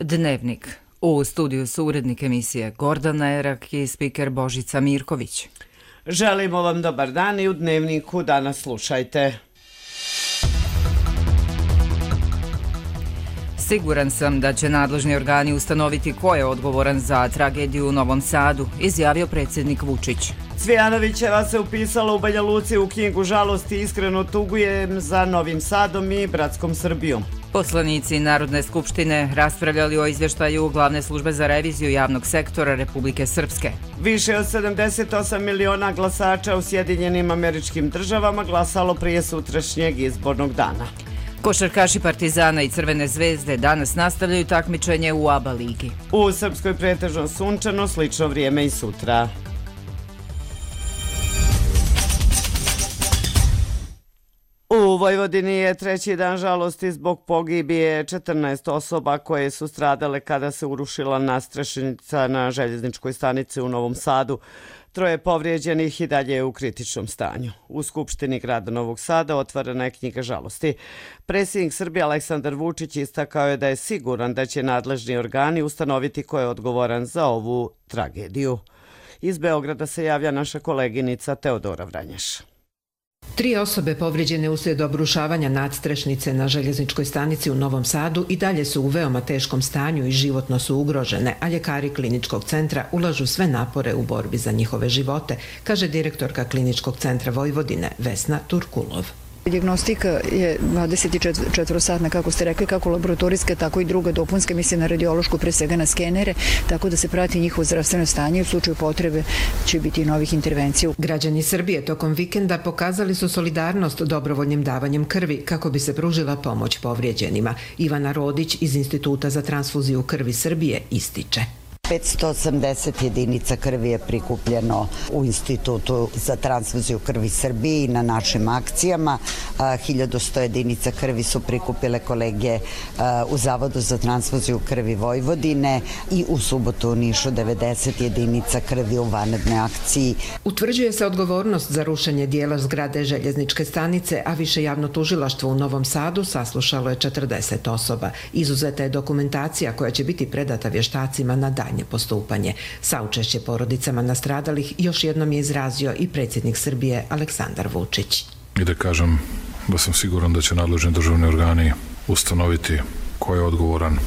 Dnevnik. U studiju su urednik emisije Gordana Erak i spiker Božica Mirković. Želimo vam dobar dan i u Dnevniku danas slušajte. Siguran sam da će nadležni organi ustanoviti ko je odgovoran za tragediju u Novom Sadu, izjavio predsjednik Vučić. Cvijanovićeva se upisala u Banja Luci u knjigu žalosti i iskreno tugujem za Novim Sadom i bratskom Srbijom. Poslanici Narodne skupštine raspravljali o izvještaju Glavne službe za reviziju javnog sektora Republike Srpske. Više od 78 miliona glasača u Sjedinjenim Američkim Državama glasalo prije sutrašnjeg izbornog dana. Košarkaši Partizana i Crvene zvezde danas nastavljaju takmičenje u ABA ligi. U Srpskoj pretežno sunčano, slično vrijeme i sutra. U Vojvodini je treći dan žalosti zbog pogibije 14 osoba koje su stradale kada se urušila nadstrešnica na željezničkoj stanici u Novom Sadu. Troje povrijeđenih i dalje je u kritičnom stanju. U Skupštini grada Novog Sada otvorena je knjiga žalosti. Predsjednik Srbije Aleksandar Vučić istakao je da je siguran da će nadležni organi ustanoviti ko je odgovoran za ovu tragediju. Iz Beograda se javlja naša koleginica Teodora Vranješ. 3 osobe povrijeđene uslijed obrušavanja nadstrešnice na željezničkoj stanici u Novom Sadu i dalje su u veoma teškom stanju i životno su ugrožene, a ljekari kliničkog centra ulažu sve napore u borbi za njihove živote, kaže direktorka kliničkog centra Vojvodine Vesna Turkulov. Dijagnostika je 24-satna, kako ste rekli, kako laboratorijska, tako i druga dopunska, mislim na radiološku, pre svega na skenere, tako da se prati njihovo zdravstveno stanje i u slučaju potrebe će biti novih intervencija. Građani Srbije tokom vikenda pokazali su solidarnost dobrovoljnim davanjem krvi kako bi se pružila pomoć povrijeđenima. Ivana Rodić iz Instituta za transfuziju krvi Srbije ističe. 580 jedinica krvi je prikupljeno u Institutu za transfuziju krvi Srbije na našim akcijama. 1100 jedinica krvi su prikupile kolege u Zavodu za transfuziju krvi Vojvodine i u subotu u Nišu 90 jedinica krvi u vanrednoj akciji. Utvrđuje se odgovornost za rušenje dijela zgrade željezničke stanice, a više javno tužilaštvo u Novom Sadu saslušalo je 40 osoba. Izuzeta je dokumentacija koja će biti predata vještacima na daljnje postupanje. Saučešće porodicama nastradalih još jednom je izrazio i predsjednik Srbije Aleksandar Vučić. I da kažem da sam siguran da će nadležni državni organi ustanoviti ko je odgovoran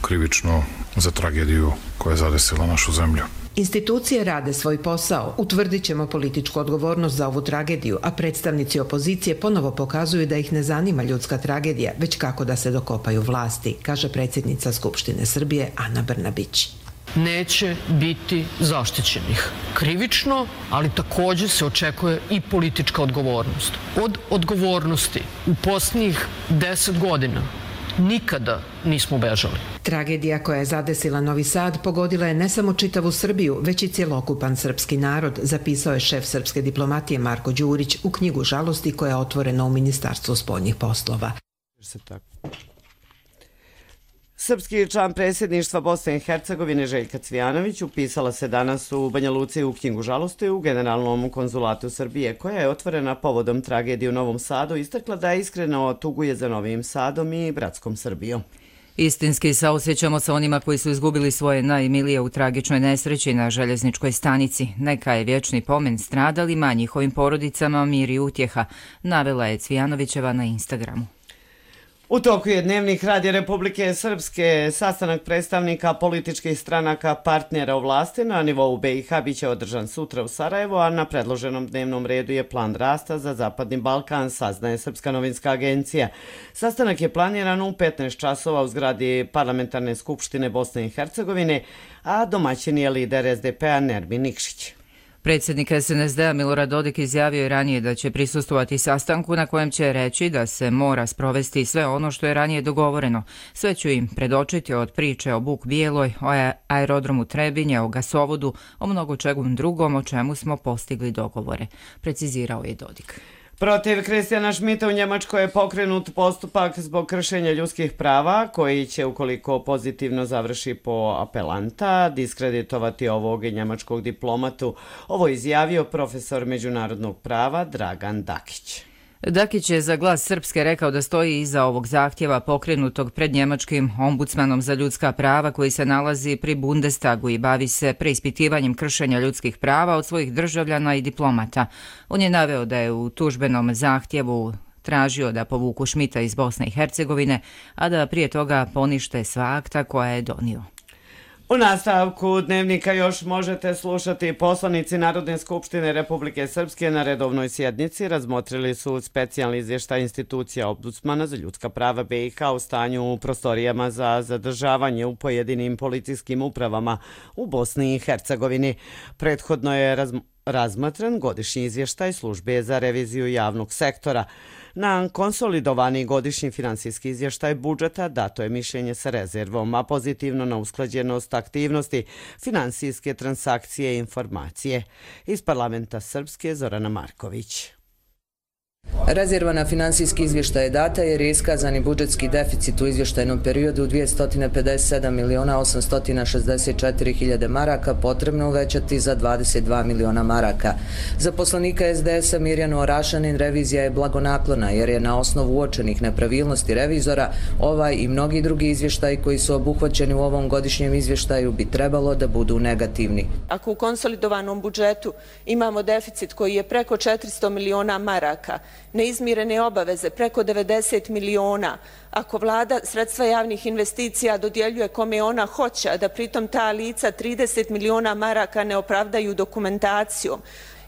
krivično za tragediju koja je zadesila našu zemlju. Institucije rade svoj posao, utvrdit ćemo političku odgovornost za ovu tragediju, a predstavnici opozicije ponovo pokazuju da ih ne zanima ljudska tragedija, već kako da se dokopaju vlasti, kaže predsjednica Skupštine Srbije Ana Brnabić. Neće biti zaštićenih krivično, ali također se očekuje i politička odgovornost. Od odgovornosti u posljednjih 10 godina nikada nismo bežali. Tragedija koja je zadesila Novi Sad pogodila je ne samo čitavu Srbiju, već i cjelokupan srpski narod, zapisao je šef srpske diplomatije Marko Đurić u knjigu žalosti koja je otvorena u Ministarstvu spoljnih poslova. Srpski član predsjedništva Bosne i Hercegovine Željka Cvijanović upisala se danas u Banja Luci u knjigu žalosti u Generalnom konzulatu Srbije, koja je otvorena povodom tragedije u Novom Sadu, istakla da iskreno tuguje za Novim Sadom i bratskom Srbijom. Istinski saosjećamo sa onima koji su izgubili svoje najmilije u tragičnoj nesreći na željezničkoj stanici. Neka je vječni pomen stradalima, njihovim porodicama, mir i utjeha, navela je Cvijanovićeva na Instagramu. U toku je Dnevnik Radija Republike Srpske. Sastanak predstavnika političkih stranaka partnera u vlasti na nivou BiH biće održan sutra u Sarajevu, a na predloženom dnevnom redu je plan rasta za Zapadni Balkan, saznaje Srpska novinska agencija. Sastanak je planiran u 15 časova u zgradi Parlamentarne skupštine Bosne i Hercegovine, a domaćin je lider SDP-a Nermin Nikšić. Predsjednik SNSD-a Milorad Dodik izjavio je ranije da će prisustvovati sastanku na kojem će reći da se mora sprovesti sve ono što je ranije dogovoreno. Sve ću im predočiti od priče o Buk Bijeloj, o aerodromu Trebinje, o gasovodu, o mnogo čemu drugom o čemu smo postigli dogovore, precizirao je Dodik. Protiv Kristijana Šmita u Njemačkoj je pokrenut postupak zbog kršenja ljudskih prava koji će, ukoliko pozitivno završi po apelanta, diskreditovati ovog njemačkog diplomatu. Ovo izjavio profesor međunarodnog prava Dragan Dakić. Dakić je za Glas Srpske rekao da stoji iza ovog zahtjeva pokrenutog pred njemačkim ombudsmanom za ljudska prava koji se nalazi pri Bundestagu i bavi se preispitivanjem kršenja ljudskih prava od svojih državljana i diplomata. On je naveo da je u tužbenom zahtjevu tražio da povuku Šmita iz Bosne i Hercegovine, a da prije toga ponište sva akta koja je donio. U nastavku dnevnika još možete slušati. Poslanici Narodne skupštine Republike Srpske na redovnoj sjednici razmotrili su specijalni izvještaj institucija ombudsmana za ljudska prava BiH u stanju u prostorijama za zadržavanje u pojedinim policijskim upravama u Bosni i Hercegovini. Prethodno je razmatran godišnji izvještaj službe za reviziju javnog sektora. Na konsolidovani godišnji finansijski izvještaj budžeta dato je mišljenje sa rezervom, a pozitivno na usklađenost aktivnosti, finansijske transakcije i informacije. Iz parlamenta Srpske Zorana Marković. Rezerva na finansijski izvještaj je data jer je iskazani budžetski deficit u izvještajnom periodu 257.864.000 maraka potrebno uvećati za 22 miliona maraka. Za poslanika SDS-a Mirjanu Orašanin revizija je blagonaklona jer je na osnovu uočenih nepravilnosti revizora ovaj i mnogi drugi izvještaji koji su obuhvaćeni u ovom godišnjem izvještaju bi trebalo da budu negativni. Ako u konsolidovanom budžetu imamo deficit koji je preko 400 miliona maraka, neizmirene obaveze preko 90 miliona, ako vlada sredstva javnih investicija dodjeljuje kome ona hoće, a da pritom ta lica 30 miliona maraka ne opravdaju dokumentacijom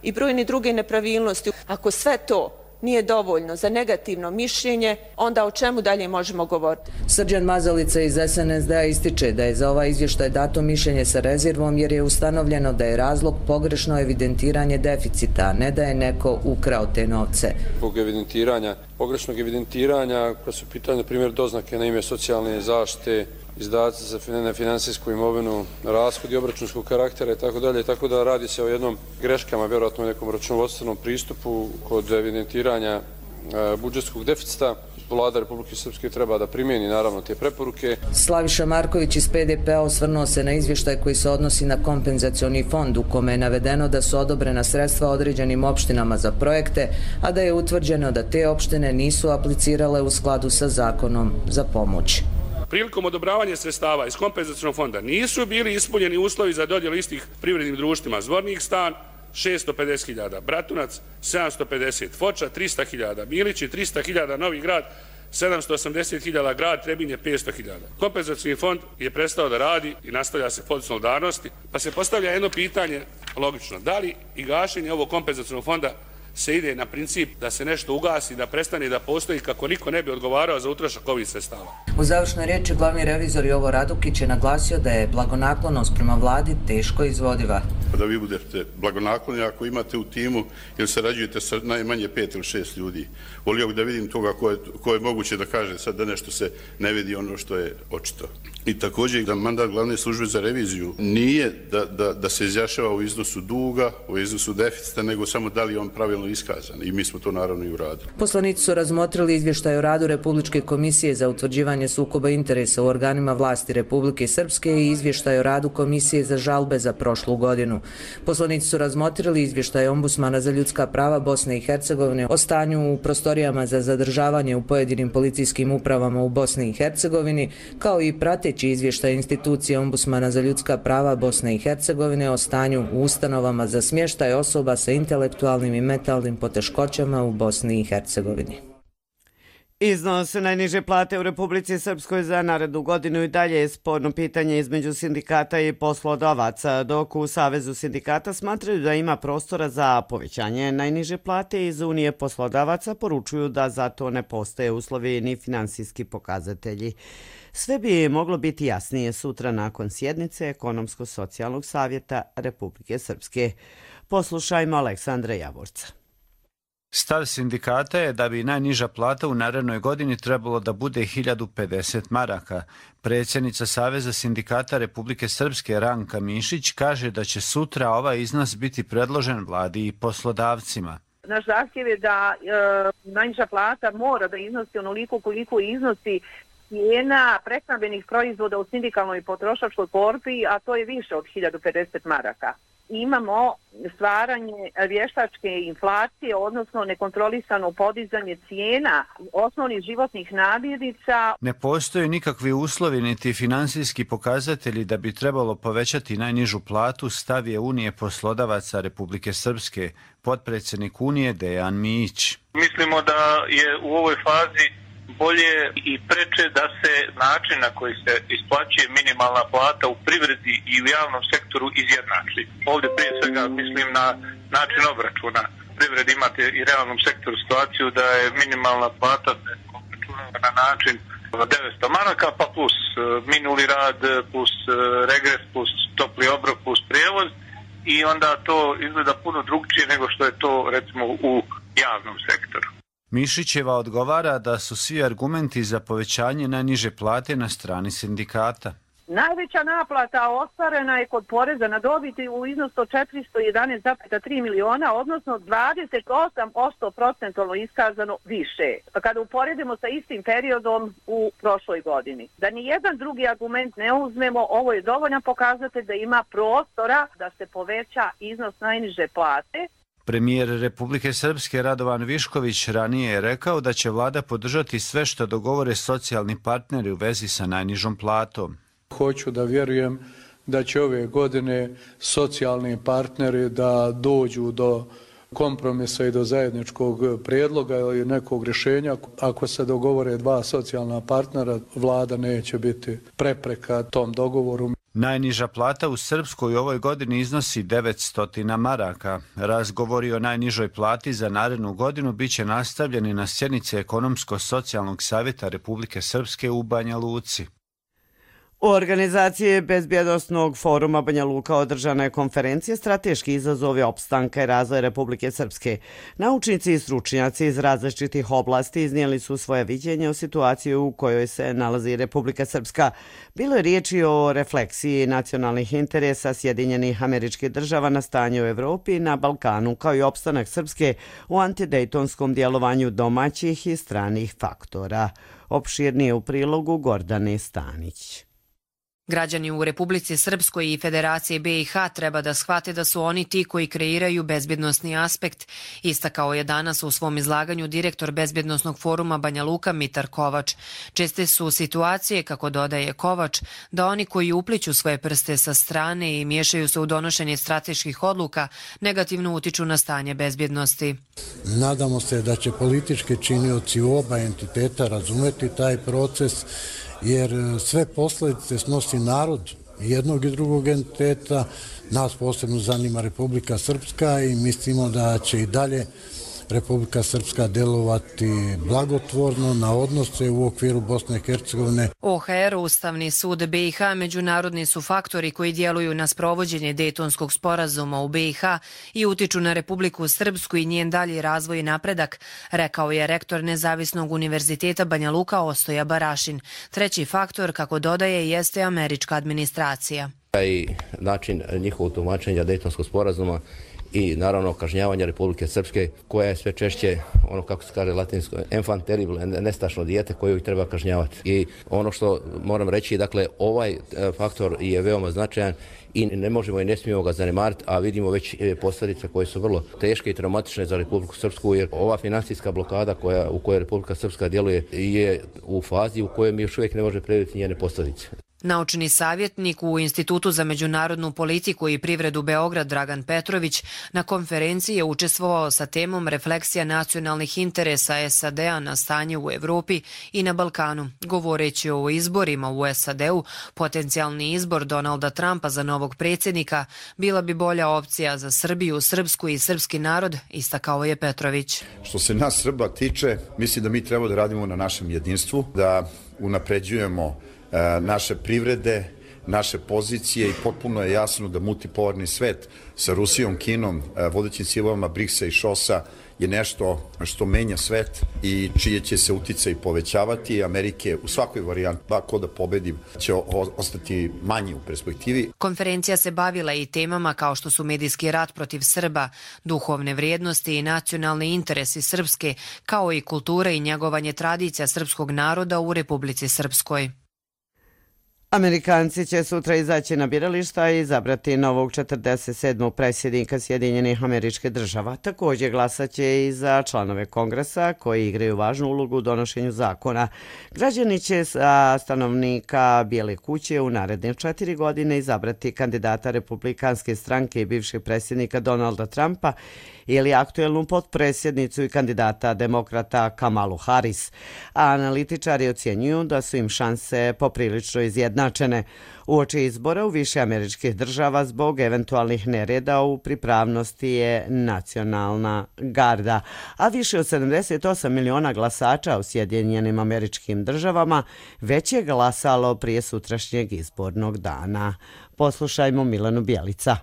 i brojne druge nepravilnosti, ako sve to nije dovoljno za negativno mišljenje, onda o čemu dalje možemo govoriti? Srđan Mazalica iz SNSD-a ističe da je za ovaj izvještaj dato mišljenje sa rezervom jer je ustanovljeno da je razlog pogrešno evidentiranje deficita, a ne da je neko ukrao te novce. Zbog pogrešnog evidentiranja, kada su pitanje, na primjer, doznake na ime socijalne zaštite, izdaci za finansijsku imovinu, rashodi obračunskog karaktera i tako da radi se o jednom greškama, vjerojatno nekom računovodstvenom pristupu kod evidentiranja budžetskog deficita. Vlada Republike Srpske treba da primjeni naravno te preporuke. Slaviša Marković iz PDP-a osvrnuo se na izvještaj koji se odnosi na kompenzacioni fond u kome je navedeno da su odobrena sredstva određenim opštinama za projekte, a da je utvrđeno da te opštine nisu aplicirale u skladu sa zakonom za pomoć. Prilikom odobravanja sredstava iz kompenzacionog fonda nisu bili ispunjeni uslovi za dodjelu istih privrednim društvima Zvornik stan 650.000, Bratunac 750, Foča 300.000, Milići 300.000, Novi Grad 780.000, Grad Trebinje 500.000. Kompenzacijni fond je prestao da radi i nastavlja se fond solidarnosti, pa se postavlja jedno pitanje logično. Da li i gašenje ovog kompenzacijnog fonda se ide na princip da se nešto ugasi, da prestane da postoji kako niko ne bi odgovarao za utrošak ovih sredstava? U završnoj riječi glavni revizor Jovo Radukić je naglasio da je blagonaklonost prema vladi teško izvodiva. Da vi budete blagonakloni ako imate u timu ili sarađujete sa najmanje 5 ili 6 ljudi. Volio bih da vidim toga ko je moguće da kaže sad da nešto se ne vidi ono što je očito. I također da mandat glavne službe za reviziju nije da se izjašnjava u iznosu duga, u iznosu deficita, nego samo da li je on pravilno iskazan. I mi smo to naravno i uradili. Poslanici su razmotrili izvještaj o radu Republičke komisije za utvrđivanje sukoba interesa u organima vlasti Republike Srpske i izvještaj o radu Komisije za žalbe za prošlu godinu. Poslanici su razmotrili izvještaj Ombudsmana za ljudska prava Bosne i Hercegovine o stanju u prostorijama za zadržavanje u pojedinim policijskim upravama u Bosni i Hercegovini, kao i prateći izvještaj institucije Ombudsmana za ljudska prava Bosne i Hercegovine o stanju u ustanovama za smještaj osoba sa intelektualnim i mentalnim poteškoćama u Bosni i Hercegovini. Iznos najniže plate u Republici Srpskoj za narednu godinu i dalje je sporno pitanje između sindikata i poslodavaca, dok u Savezu sindikata smatraju da ima prostora za povećanje najniže plate. Iz Unije poslodavaca poručuju da za to ne postoje uslovi ni finansijski pokazatelji. Sve bi moglo biti jasnije sutra nakon sjednice Ekonomsko-socijalnog savjeta Republike Srpske. Poslušajmo Aleksandra Javorca. Stav sindikata je da bi najniža plata u narednoj godini trebalo da bude 1050 maraka. Predsjednica Saveza sindikata Republike Srpske Ranka Mišić kaže da će sutra ovaj iznos biti predložen vladi i poslodavcima. Naš zahtjev je da najniža plata mora da iznosi onoliko koliko iznosi cijena prehrambenih proizvoda u sindikalnoj i potrošačkoj korpi, a to je više od 1050 maraka. imamo stvaranje vještačke inflacije, odnosno nekontrolisano podizanje cijena osnovnih životnih namirnica. Ne postoje nikakvi uslovi niti finansijski pokazatelji da bi trebalo povećati najnižu platu, stav je Unije poslodavaca Republike Srpske, potpredsjednik Unije Dejan Mijić. Mislimo da je u ovoj fazi bolje i preče da se način na koji se isplaćuje minimalna plata u privredi i u javnom sektoru izjednači. Ovdje prije svega mislim na način obračuna. U privredi imate i realnom sektoru situaciju da je minimalna plata obračunava na način 900 maraka pa plus minuli rad, plus regres, plus topli obrok, plus prijevoz i onda to izgleda puno drugčije nego što je to recimo u javnom sektoru. Mišićeva odgovara da su svi argumenti za povećanje najniže plate na strani sindikata. Najveća naplata ostvarena je kod poreza na dobit u iznosu od 411,3 miliona, odnosno 28% procentualno iskazano više. Kada uporedimo sa istim periodom u prošloj godini. Da ni jedan drugi argument ne uzmemo, ovo je dovoljan pokazatelj da ima prostora da se poveća iznos najniže plate. Premijer Republike Srpske Radovan Višković ranije je rekao da će vlada podržati sve što dogovore socijalni partneri u vezi sa najnižom platom. Hoću da vjerujem da će ove godine socijalni partneri da dođu do kompromisa i do zajedničkog prijedloga ili nekog rješenja. Ako se dogovore dva socijalna partnera, vlada neće biti prepreka tom dogovoru. Najniža plata u Srpskoj u ovoj godini iznosi 900 maraka. Razgovori o najnižoj plati za narednu godinu biće nastavljeni na sjednici Ekonomsko-socijalnog savjeta Republike Srpske u Banja Luci. U organizaciji Bezbjednosnog foruma Banja Luka održana je konferencija Strateški izazovi opstanka i razvoja Republike Srpske. Naučnici i stručnjaci iz različitih oblasti iznijeli su svoje viđenje o situaciji u kojoj se nalazi Republika Srpska. Bilo je riječi o refleksiji nacionalnih interesa Sjedinjenih Američkih Država na stanje u Evropi i na Balkanu, kao i opstanak Srpske u antidejtonskom djelovanju domaćih i stranih faktora. Opširnije u prilogu Gordane Stanić. Građani u Republici Srpskoj i Federaciji BiH treba da shvate da su oni ti koji kreiraju bezbjednosni aspekt, istakao je danas u svom izlaganju direktor Bezbjednosnog foruma Banja Luka Mitar Kovač. Česte su situacije, kako dodaje Kovač, da oni koji upliću svoje prste sa strane i miješaju se u donošenje strateških odluka negativno utiču na stanje bezbjednosti. Nadamo se da će politički činioci u oba entiteta razumeti taj proces, jer sve posljedice snosi narod jednog i drugog entiteta. Nas posebno zanima Republika Srpska i mislimo da će i dalje Republika Srpska delovati blagotvorno na odnose u okviru Bosne i Hercegovine. OHR, Ustavni sud BiH, međunarodni su faktori koji djeluju na sprovođenje Dejtonskog sporazuma u BiH i utiču na Republiku Srpsku i njen dalji razvoj i napredak, rekao je rektor Nezavisnog univerziteta Banja Luka Ostoja Barašin. Treći faktor, kako dodaje, jeste američka administracija. I način njihovog tumačenja Dejtonskog sporazuma i naravno kažnjavanja Republike Srpske, koja je sve češće, ono kako se kaže latinsko, enfant terrible, nestašno dijete koju ih treba kažnjavati. I ono što moram reći, dakle, ovaj faktor je veoma značajan i ne možemo i ne smijemo ga zanemariti, a vidimo već posljedice koje su vrlo teške i traumatične za Republiku Srpsku, jer ova financijska blokada u kojoj Republika Srpska djeluje je u fazi u kojoj mi još uvijek ne može predvidjeti njene posljedice. Naučni savjetnik u Institutu za međunarodnu politiku i privredu Beograd Dragan Petrović na konferenciji je učestvovao sa temom refleksija nacionalnih interesa SAD-a na stanje u Evropi i na Balkanu. Govoreći o izborima u SAD-u, potencijalni izbor Donalda Trumpa za novog predsjednika bila bi bolja opcija za Srbiju, srpsku i srpski narod, istakao je Petrović. Što se nas Srba tiče, mislim da mi treba da radimo na našem jedinstvu, da unapređujemo naše privrede, naše pozicije i potpuno je jasno da multipolarni svet sa Rusijom, Kinom, vodećim silama BRICS-a i ŠOS-a je nešto što menja svet i čije će se uticaj povećavati. Amerike u svakoj varijanti, ko da pobedi, će ostati manji u perspektivi. Konferencija se bavila i temama kao što su medijski rat protiv Srba, duhovne vrijednosti i nacionalni interesi Srpske, kao i kultura i njegovanje tradicija srpskog naroda u Republici Srpskoj. Amerikanci će sutra izaći na birališta i izabrati novog 47. predsjednika Sjedinjenih Američkih Država. Također glasaće i za članove Kongresa koji igraju važnu ulogu u donošenju zakona. Građani će sa stanovnika Bijele kuće u naredne 4 godine izabrati kandidata Republikanske stranke i bivšeg predsjednika Donalda Trumpa ili aktuelnu potpredsjednicu i kandidata demokrata Kamalu Harris, a analitičari ocjenjuju da su im šanse poprilično izjednačene. Uoči izbora u više američkih država zbog eventualnih nereda u pripravnosti je nacionalna garda, a više od 78 miliona glasača u Sjedinjenim Američkim Državama već je glasalo prije sutrašnjeg izbornog dana. Poslušajmo Milanu Bjelica.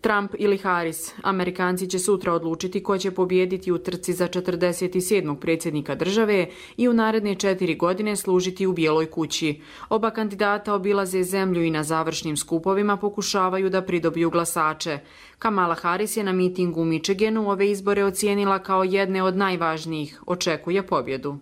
Trump ili Harris, Amerikanci će sutra odlučiti ko će pobijediti u trci za 47. predsjednika države i u naredne 4 godine služiti u Bijeloj kući. Oba kandidata obilaze zemlju i na završnim skupovima pokušavaju da pridobiju glasače. Kamala Harris je na mitingu u Michiganu ove izbore ocijenila kao jedne od najvažnijih. Očekuje pobjedu.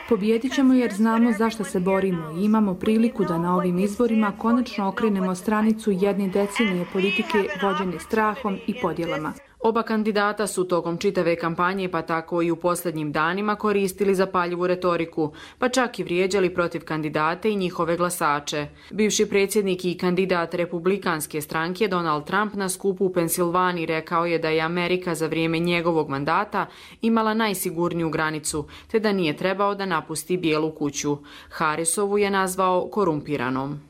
Pobijedit ćemo jer znamo zašto se borimo i imamo priliku da na ovim izborima konačno okrenemo stranicu jedne decenije politike vođene strahom i podjelama. Oba kandidata su tokom čitave kampanje, pa tako i u posljednjim danima, koristili zapaljivu retoriku, pa čak i vrijeđali protiv kandidate i njihove glasače. Bivši predsjednik i kandidat Republikanske stranke Donald Trump na skupu u Pensilvaniji rekao je da je Amerika za vrijeme njegovog mandata imala najsigurniju granicu, te da nije trebao da napusti Bijelu kuću. Harrisovu je nazvao korumpiranom.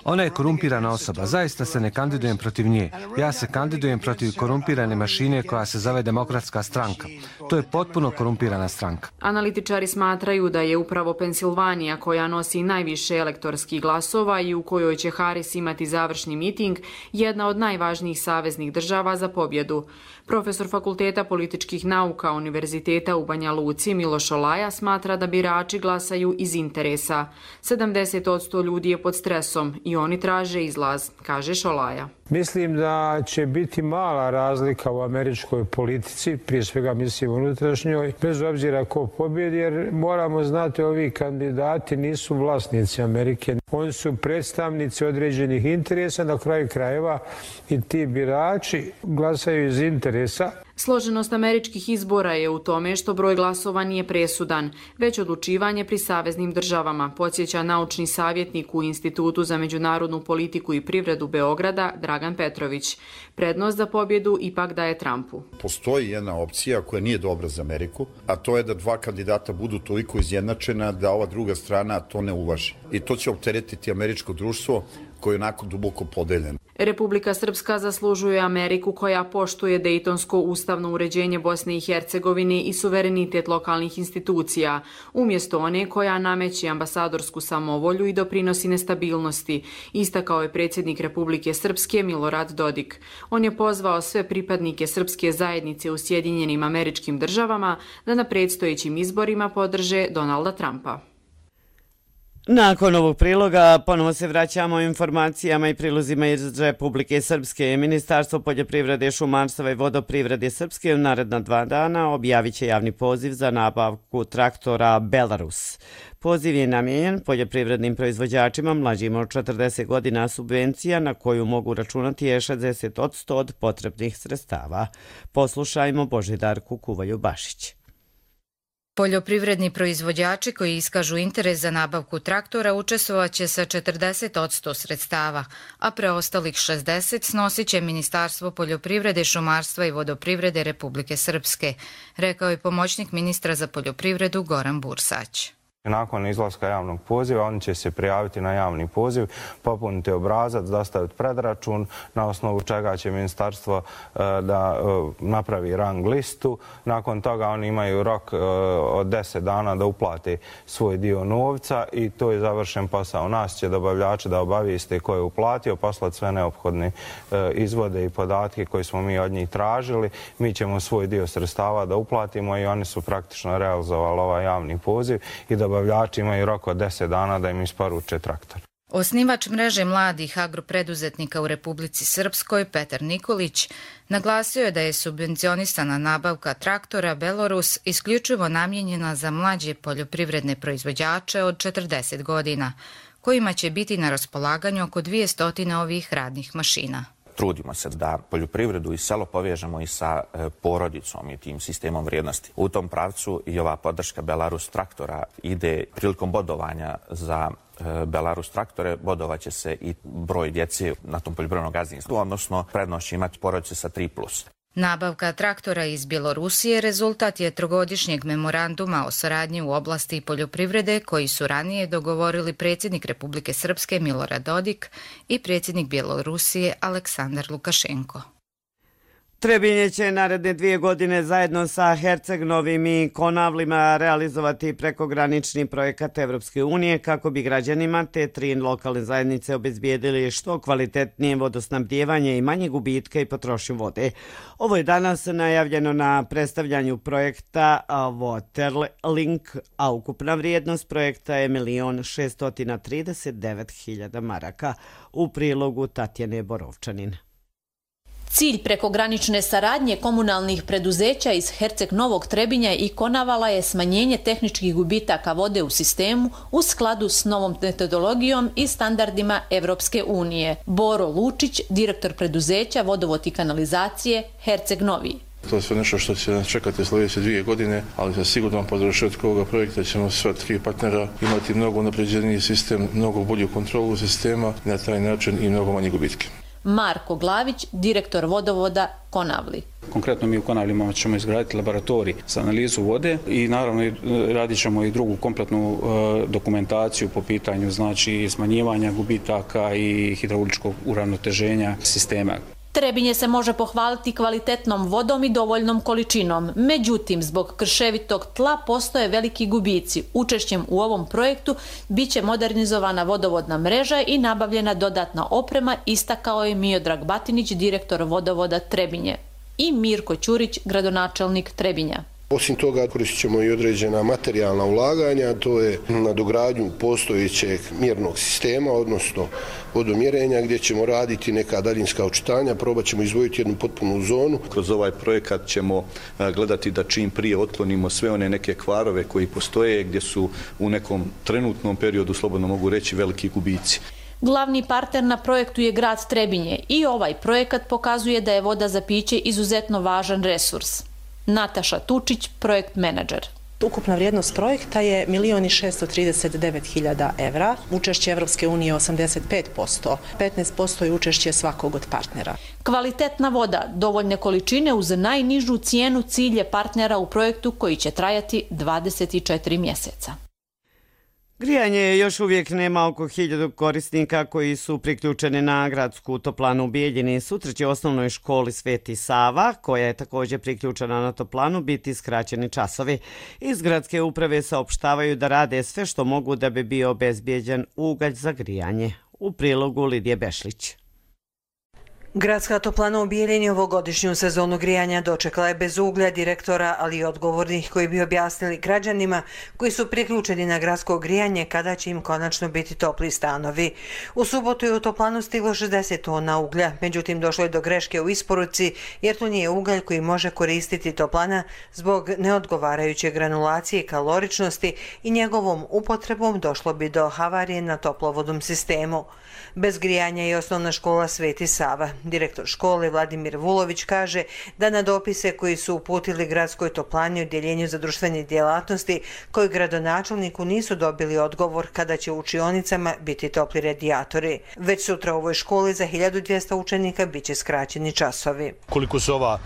Ona je korumpirana osoba. Zaista se ne kandidujem protiv nje. Ja se kandidujem protiv korumpirane mašine koja se zove Demokratska stranka. To je potpuno korumpirana stranka. Analitičari smatraju da je upravo Pensilvanija, koja nosi najviše elektorskih glasova i u kojoj će Harris imati završni miting, jedna od najvažnijih saveznih država za pobjedu. Profesor Fakulteta političkih nauka Univerziteta u Banja Luci Miloš Olaja smatra da birači glasaju iz interesa. 70% ljudi je pod stresom i oni traže izlaz, kaže Šolaja. Mislim da će biti mala razlika u američkoj politici, prije svega mislim unutrašnjoj, bez obzira ko pobjedi, jer moramo znati ovi kandidati nisu vlasnici Amerike. Oni su predstavnici određenih interesa, na kraju krajeva i ti birači glasaju iz interesa. Složenost američkih izbora je u tome što broj glasova nije presudan, već odlučivanje pri saveznim državama, podsjeća naučni savjetnik u Institutu za međunarodnu politiku i privredu Beograda Dragan Petrović. Prednost za pobjedu ipak daje Trumpu. Postoji jedna opcija koja nije dobra za Ameriku, a to je da dva kandidata budu toliko izjednačena da ova druga strana to ne uvaži. I to će opteretiti američko društvo koje je onako duboko podeljeno. Republika Srpska zaslužuje Ameriku koja poštuje Dejtonsko ustavno uređenje Bosne i Hercegovine i suverenitet lokalnih institucija, umjesto one koja nameće ambasadorsku samovolju i doprinosi nestabilnosti, istakao je predsjednik Republike Srpske Milorad Dodik. On je pozvao sve pripadnike srpske zajednice u Sjedinjenim Američkim Državama da na predstojećim izborima podrže Donalda Trumpa. Nakon ovog priloga ponovo se vraćamo informacijama i prilozima iz Republike Srpske. Ministarstvo poljoprivrede, šumarstva i vodoprivrede Srpske u naredna 2 dana objavit će javni poziv za nabavku traktora Belarus. Poziv je namijenjen poljoprivrednim proizvođačima mlađim od 40 godina, subvencija na koju mogu računati je 60% od potrebnih sredstava. Poslušajmo Božidarku Kuvalju-Bašić. Poljoprivredni proizvođači koji iskažu interes za nabavku traktora učestvovaće sa 40% sredstava, a preostalih 60% snosit će Ministarstvo poljoprivrede, šumarstva i vodoprivrede Republike Srpske, rekao je pomoćnik ministra za poljoprivredu Goran Bursać. Nakon izlaska javnog poziva oni će se prijaviti na javni poziv, popuniti obrazac, dostaviti predračun, na osnovu čega će ministarstvo da napravi rang listu. Nakon toga oni imaju rok od 10 dana da uplate svoj dio novca i to je završen posao. Nas će dobavljači da obavijeste ko je uplatio, poslati sve neophodne izvode i podatke koje smo mi od njih tražili. Mi ćemo svoj dio sredstava da uplatimo i oni su praktično realizovali ovaj javni poziv i dobavljači imaju rok od 10 dana da im isporuče traktor. Osnivač mreže mladih agropreduzetnika u Republici Srpskoj, Petar Nikolić, naglasio je da je subvencionisana nabavka traktora Belorus isključivo namijenjena za mlađe poljoprivredne proizvođače od 40 godina, kojima će biti na raspolaganju oko 200 ovih radnih mašina. Trudimo se da poljoprivredu i selo povežemo i sa porodicom i tim sistemom vrijednosti. U tom pravcu i ova podrška Belarus traktora ide prilikom bodovanja za Belarus traktore, bodovaće se i broj djece na tom poljoprivrednom gazdinstvu, odnosno prednost će imati porodice sa 3+. Nabavka traktora iz Bjelorusije rezultat je trogodišnjeg memoranduma o saradnji u oblasti poljoprivrede koji su ranije dogovorili predsjednik Republike Srpske Milorad Dodik i predsjednik Bjelorusije Aleksandar Lukašenko. Trebinje će naredne 2 godine zajedno sa Herceg-Novim i Konavlima realizovati prekogranični projekat Evropske unije kako bi građanima te 3 lokalne zajednice obezbijedili što kvalitetnije vodosnabdijevanje i manje gubitka i potrošnju vode. Ovo je danas najavljeno na predstavljanju projekta Waterlink, a ukupna vrijednost projekta je 1.639.000 maraka. U prilogu Tatjane Borovčanin. Cilj prekogranične saradnje komunalnih preduzeća iz Herceg Novog Trebinja i Konavala je smanjenje tehničkih gubitaka vode u sistemu u skladu s novom metodologijom i standardima Evropske unije. Boro Lučić, direktor preduzeća Vodovod i kanalizacije Herceg Novi. To je sve nešto što će nas čekati sljedeće 2 godine, ali sa sigurnom podršetkom ovoga projekta ćemo sva 3 partnera imati mnogo napređeniji sistem, mnogo bolju kontrolu sistema i na taj način i mnogo manje gubitke. Marko Glavić, direktor vodovoda Konavli. Konkretno mi u Konavlima ćemo izgraditi laboratorij za analizu vode i naravno radit ćemo i drugu kompletnu dokumentaciju po pitanju znači smanjivanja gubitaka i hidrauličkog uravnoteženja sistema. Trebinje se može pohvaliti kvalitetnom vodom i dovoljnom količinom. Međutim, zbog krševitog tla postoje veliki gubici. Učešćem u ovom projektu biće modernizovana vodovodna mreža i nabavljena dodatna oprema, istakao je Miodrag Batinić, direktor vodovoda Trebinje, i Mirko Ćurić, gradonačelnik Trebinja. Osim toga koristit ćemo i određena materijalna ulaganja, to je na dogradnju postojećeg mjernog sistema, odnosno vodomjerenja, gdje ćemo raditi neka daljinska očitanja, probat ćemo izdvojiti jednu potpunu zonu. Kroz ovaj projekat ćemo gledati da čim prije otklonimo sve one neke kvarove koji postoje, gdje su u nekom trenutnom periodu, slobodno mogu reći, veliki gubici. Glavni partner na projektu je grad Trebinje i ovaj projekat pokazuje da je voda za piće izuzetno važan resurs. Nataša Tučić, projekt menadžer. Ukupna vrijednost projekta je 1.639.000 evra, učešće Evropske unije 85%, 15% je učešće svakog od partnera. Kvalitetna voda, dovoljne količine uz najnižu cijenu, cilj je partnera u projektu koji će trajati 24 mjeseca. Grijanje još uvijek nema oko 1000 korisnika koji su priključeni na gradsku toplanu u Bijeljini. Sutra će u osnovnoj školi Sveti Sava, koja je također priključena na toplanu, biti skraćeni časovi. Iz gradske uprave saopštavaju da rade sve što mogu da bi bio obezbijeđen ugalj za grijanje. U prilogu Lidije Bešlić. Gradska toplana u Bijeljini ovogodišnju sezonu grijanja dočekala je bez uglja direktora, ali i odgovornih koji bi objasnili građanima koji su priključeni na gradsko grijanje kada će im konačno biti topli stanovi. U subotu je u toplanu stiglo 60 tona uglja, međutim došlo je do greške u isporuci jer to nije ugalj koji može koristiti toplana zbog neodgovarajuće granulacije i kaloričnosti i njegovom upotrebom došlo bi do havarije na toplovodnom sistemu. Bez grijanja je osnovna škola Sveti Sava. Direktor škole Vladimir Vulović kaže da na dopise koji su uputili gradskoj toplani u Odjeljenju za društvene djelatnosti koji gradonačelniku nisu dobili odgovor kada će u učionicama biti topli radijatori. Već sutra u ovoj školi za 1200 učenika biće skraćeni časovi. Koliko se ova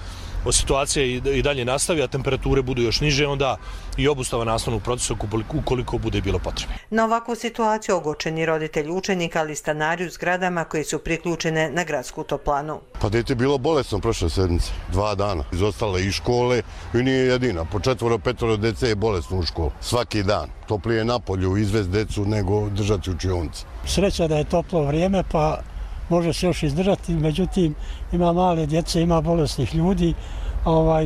situacija i dalje nastavi, a temperature budu još niže, onda i obustava nastavnog procesa ukoliko bude bilo potrebno. Na ovakvu situaciju ogorčeni roditelji učenika, ali stanari u zgradama koji su priključene na gradsku toplanu. Pa dete je bilo bolesno prošle sedmice, 2 dana. Izostale i škole i nije jedina. Po 4-5 dece je bolesno u školu. Svaki dan. Toplije napolju izvest decu nego držati učionice. Sreća da je toplo vrijeme pa može se još izdržati, međutim ima male djece, ima bolesnih ljudi,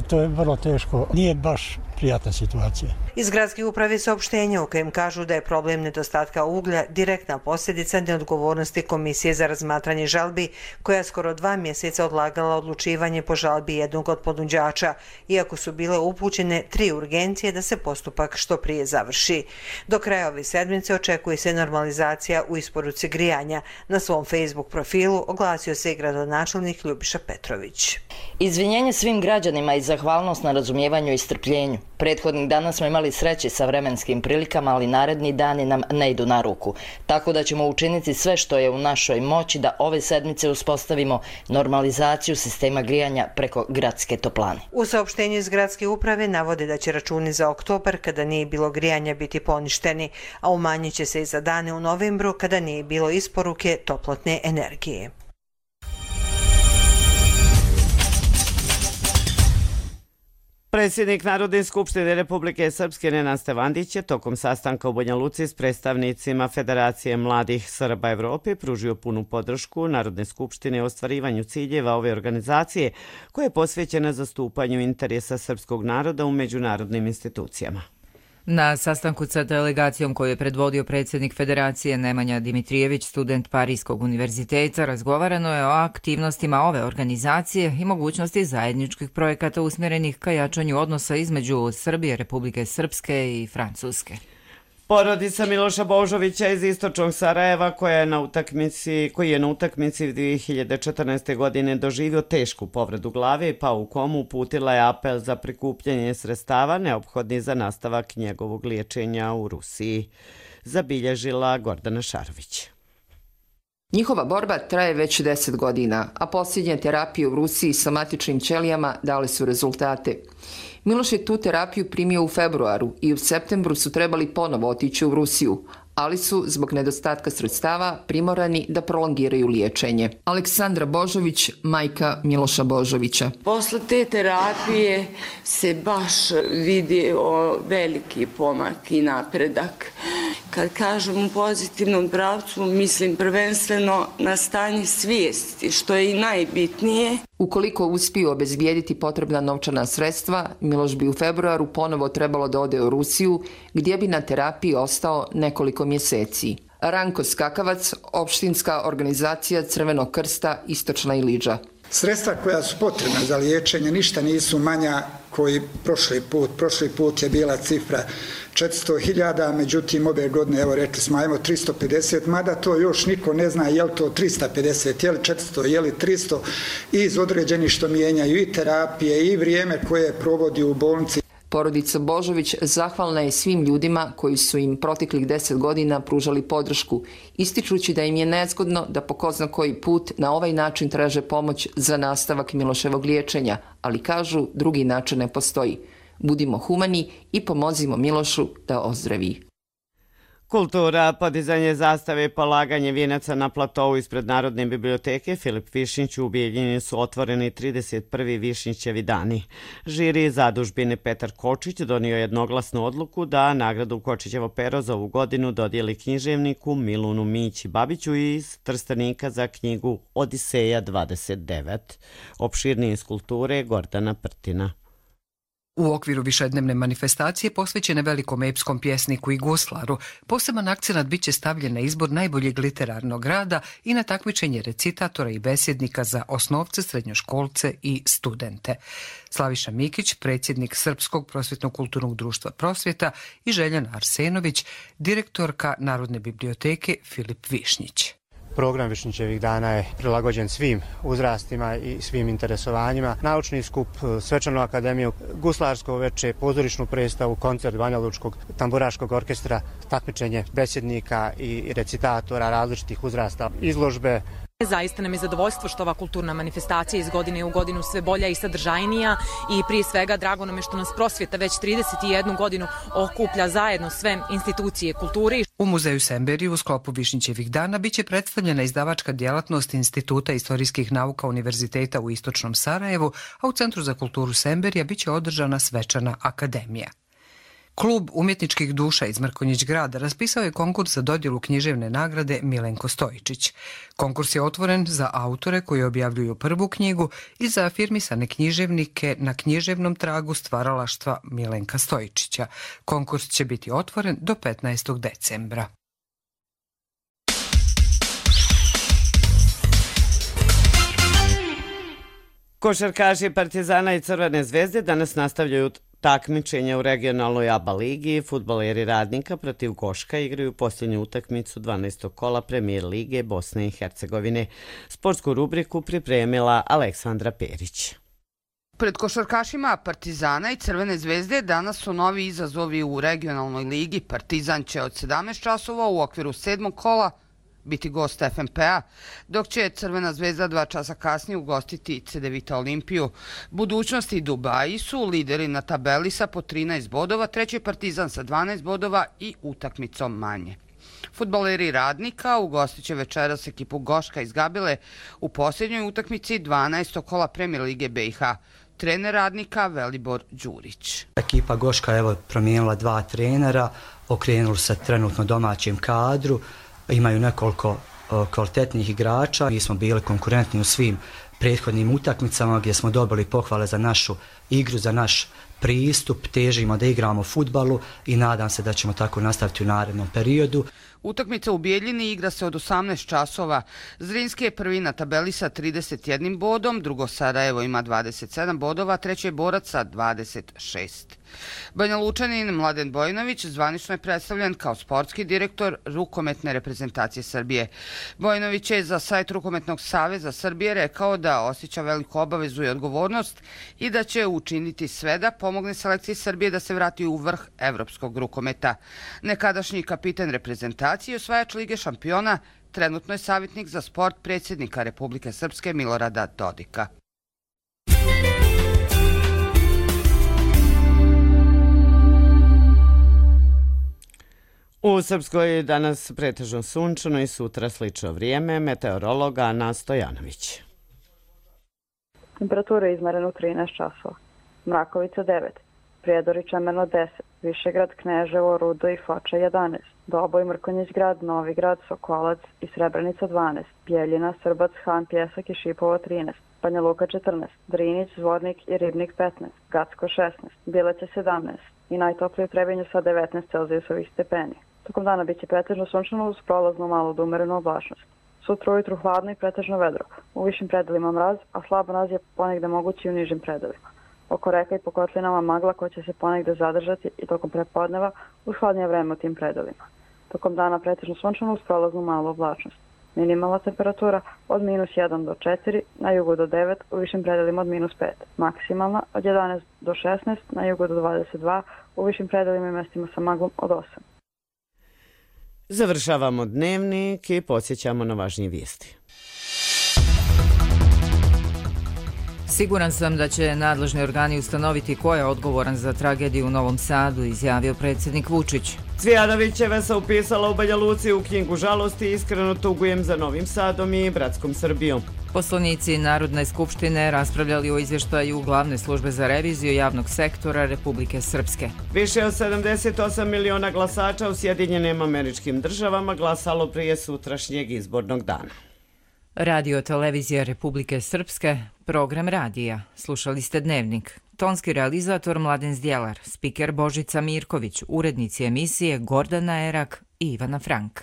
to je vrlo teško. Nije baš prijatna situacija. Iz gradske uprave saopštenja u kojem kažu da je problem nedostatka uglja direktna posljedica neodgovornosti Komisije za razmatranje žalbi, koja skoro 2 mjeseca odlagala odlučivanje po žalbi jednog od ponuđača, iako su bile upućene 3 urgencije da se postupak što prije završi. Do kraja ove sedmice očekuje se normalizacija u isporuci grijanja. Na svom Facebook profilu oglasio se i gradonačelnik Ljubiša Petrović. Izvinjenje svim građanima i zahvalnost na razumijevanju i strpljenju. Prethodnih dana smo imali sreće sa vremenskim prilikama, ali naredni dani nam ne idu na ruku. Tako da ćemo učiniti sve što je u našoj moći da ove sedmice uspostavimo normalizaciju sistema grijanja preko gradske toplane. U saopštenju iz gradske uprave navode da će računi za oktobar, kada nije bilo grijanja, biti poništeni, a umanjit će se i za dane u novembru kada nije bilo isporuke toplotne energije. Predsjednik Narodne skupštine Republike Srpske Nenad Stevandić je tokom sastanka u Banja Luci s predstavnicima Federacije mladih Srba Evrope pružio punu podršku Narodne skupštine u ostvarivanju ciljeva ove organizacije koja je posvećena zastupanju interesa srpskog naroda u međunarodnim institucijama. Na sastanku sa delegacijom koju je predvodio predsjednik Federacije Nemanja Dimitrijević, student Parijskog univerziteta, razgovarano je o aktivnostima ove organizacije i mogućnosti zajedničkih projekata usmjerenih ka jačanju odnosa između Srbije, Republike Srpske i Francuske. Porodica Miloša Božovića iz istočnog Sarajeva koji je na utakmici 2014. godine doživio tešku povredu glave i pao u komu, uputila je apel za prikupljanje sredstava neophodnih za nastavak njegovog liječenja u Rusiji. Zabilježila Gordana Šarović. Njihova borba traje već 10 godina, a posljednje terapije u Rusiji sa matičnim ćelijama dale su rezultate. Miloš je tu terapiju primio u februaru i u septembru su trebali ponovo otići u Rusiju, ali su zbog nedostatka sredstava primorani da prolongiraju liječenje. Aleksandra Božović, majka Miloša Božovića. Posle te terapije se baš vidio veliki pomak i napredak. Kad kažem u pozitivnom pravcu, mislim prvenstveno na stanje svijesti, što je i najbitnije. Ukoliko uspiju obezbijediti potrebna novčana sredstva, Miloš bi u februaru ponovo trebalo da ode u Rusiju, gdje bi na terapiji ostao nekoliko mjeseci. Ranko Skakavac, opštinska organizacija Crvenog krsta Istočna Iliđa. Sredstva koja su potrebna za liječenje ništa nisu manja koji prošli put. Prošli put je bila cifra 400.000, međutim ove godine, evo rekli smo, ajmo 350, mada to još niko ne zna je li to 350, je li 400, je li 300, iz određenih što mijenjaju i terapije i vrijeme koje provodi u bolnici. Porodica Božović zahvalna je svim ljudima koji su im proteklih 10 godina pružali podršku, ističući da im je nezgodno da po ko zna koji put na ovaj način traže pomoć za nastavak Miloševog liječenja, ali kažu drugi način ne postoji. Budimo humani i pomozimo Milošu da ozdravi. Kultura, podizanje zastave i polaganje vijenaca na platovu ispred Narodne biblioteke Filip Višnjić u Bijeljini su otvoreni 31. Višnjićevi dani. Žiri zadužbine Petar Kočić donio jednoglasnu odluku da nagradu Kočićevo pero za ovu godinu dodijeli književniku Milunu Mići Babiću iz Trstenika za knjigu Odiseja 29. Opširnije iz kulture Gordana Prtina. U okviru višednevne manifestacije posvećene velikom epskom pjesniku i guslaru, poseban akcenat biće stavljen na izbor najboljeg literarnog rada i na takmičenje recitatora i besjednika za osnovce, srednjoškolce i studente. Slaviša Mikić, predsjednik Srpskog prosvjetno-kulturnog društva Prosvjeta, i Željana Arsenović, direktorka Narodne biblioteke Filip Višnjić. Program Višnjićevih dana je prilagođen svim uzrastima i svim interesovanjima. Naučni skup, svečanu akademiju, guslarsko veče, pozorišnu predstavu, koncert Banja Lučkog tamburaškog orkestra, takmičenje besjednika i recitatora različitih uzrasta, izložbe. Zaista nam je zadovoljstvo što ova kulturna manifestacija iz godine u godinu sve bolja i sadržajnija i prije svega drago nam je što nas Prosvjeta već 31 godinu okuplja zajedno sve institucije kulture. U muzeju Semberiju u sklopu Višnjićevih dana biće predstavljena izdavačka djelatnost Instituta istorijskih nauka Univerziteta u Istočnom Sarajevu, a u Centru za kulturu Semberija biće održana svečana akademija. Klub umjetničkih duša iz Mrkonjić grada raspisao je konkurs za dodjelu književne nagrade Milenko Stojičić. Konkurs je otvoren za autore koji objavljuju prvu knjigu i za afirmisane književnike na književnom tragu stvaralaštva Milenka Stojičića. Konkurs će biti otvoren do 15. decembra. Košarkaši Partizana i Crvene zvezde danas nastavljaju takmičenje u regionalnoj ABA ligi. Fudbaleri Radnika protiv Goška igraju posljednju utakmicu 12. kola Premijer lige Bosne i Hercegovine. Sportsku rubriku pripremila Aleksandra Perić. Pred košarkašima Partizana i Crvene zvezde danas su novi izazovi u regionalnoj ligi. Partizan će od 17 časova u okviru 7. kola biti gost FNP-a, dok će Crvena zvezda 2 časa kasnije ugostiti Cedevita Olimpiju. Budućnosti Dubaji su lideri na tabeli sa po 13 bodova, treći Partizan sa 12 bodova i utakmicom manje. Fudbaleri Radnika ugostit će večeras ekipu Goška iz Gabile u posljednjoj utakmici 12. kola Premijer lige BiH. Trener Radnika Velibor Đurić. Ekipa Goška je promijenila 2 trenera, okrenuli se trenutno domaćem kadru, imaju nekoliko kvalitetnih igrača. Mi smo bili konkurentni u svim prethodnim utakmicama gdje smo dobili pohvale za našu igru, za naš pristup, težimo da igramo fudbalu i nadam se da ćemo tako nastaviti u narednom periodu. Utakmica u Bijeljini igra se od 18 časova. Zrinski je prvi na tabeli sa 31 bodom, drugo Sarajevo ima 27 bodova, treći je Borac sa 26. Banja Lučanin Mladen Bojinović zvanično je predstavljen kao sportski direktor rukometne reprezentacije Srbije. Bojinović je za sajt Rukometnog saveza Srbije rekao da osjeća veliku obavezu i odgovornost i da će učiniti sve da pomogne selekciji Srbije da se vrati u vrh evropskog rukometa. Nekadašnji kapiten reprezentacije i osvajač Lige šampiona trenutno je savjetnik za sport predsjednika Republike Srpske Milorada Dodika. U Srpskoj danas pretežno sunčano i sutra slično vrijeme. Meteorolog Ana Stojanović. Temperatura je izmerena u 13 časova. Mrakovica 9, Prijedor i Čemerno 10, Višegrad, Kneževo, Rudo i Foča 11, Doboj, Mrkonjić grad, Novigrad, Sokolac i Srebrenica 12, Bijeljina, Srbac, Han, Pjesak i Šipovo 13, Banja Luka 14, Drinić, Zvornik i Ribnik 15, Gacko 16, Bileće 17 i najtoplije u Trebinju sa 19 celzijusovih stepeni. Tokom dana biće pretežno sunčano uz prolaznu malo do umerenu oblačnost. Sutra ujutru hladno i pretežno vedro. U višim predelima mraz, a slabo mraz je ponegde mogući u nižim predelima. Oko reka i po kotlinama magla koja će se ponegde zadržati i tokom prepodneva uz hladnije vreme u tim predelima. Tokom dana pretežno sunčano uz prolaznu malu oblačnost. Minimalna temperatura od -1 do 4, na jugu do 9, u višim predelima od -5. Maksimalna od 11 do 16, na jugu do 22, u višim predelima i mestima sa maglom od 8. Završavamo dnevnik i podsjećamo na važnije vijesti. Siguran sam da će nadležni organi ustanoviti ko je odgovoran za tragediju u Novom Sadu, izjavio predsjednik Vučić. Cvijanovićeva se upisala u Banja Luci u knjigu žalosti. Iskreno tugujem za Novim Sadom i bratskom Srbijom. Poslanici Narodne skupštine raspravljali o izvještaju Glavne službe za reviziju javnog sektora Republike Srpske. Više od 78 miliona glasača u Sjedinjenim Američkim Državama glasalo prije sutrašnjeg izbornog dana. Radio televizija Republike Srpske, program radija. Slušali ste Dnevnik. Tonski realizator Mladen Zdjelar, spiker Božica Mirković, urednici emisije Gordana Erak i Ivana Frank.